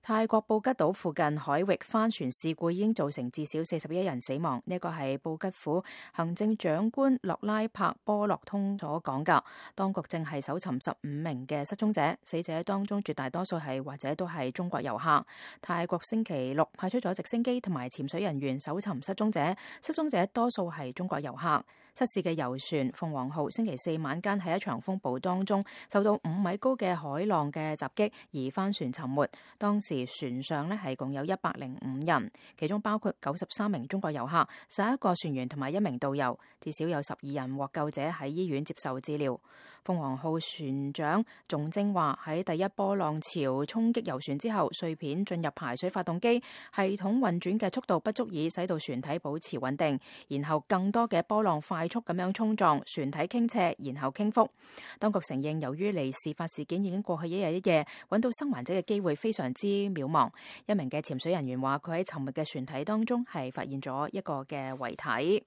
泰國布吉島附近海域帆船事故已經造成至少41人死亡，呢個係布吉府行政長官洛拉柏波洛通所講㗎。當局正係搜尋15名嘅失蹤者，死者當中絕大多數係或者都係中國遊客。泰國星期六派出咗直升機同埋潛水人員搜尋失蹤者，失蹤者多數係中國遊客。失事嘅遊船鳳凰號星期四晚間喺一場風暴當中受到5米高嘅海浪嘅襲擊而帆船沉沒，當時船上係共有105人，其中包括93名中國遊客、11個船員同埋1名導遊，至少有12人獲救者喺醫院接受治療。鳳凰號船長仲正話喺第一波浪潮衝擊遊船之後，碎片進入排水發動機，系統運轉嘅速度不足以使到船體保持穩定，然後更多嘅波浪快速咁樣衝撞船體傾斜，然後傾覆。當局承認由於離事發事件已經過去1日1夜，揾到生還者嘅機會非常之渺茫。一名嘅潛水人員話佢喺沉沒嘅船體當中係發現咗一個嘅遺體。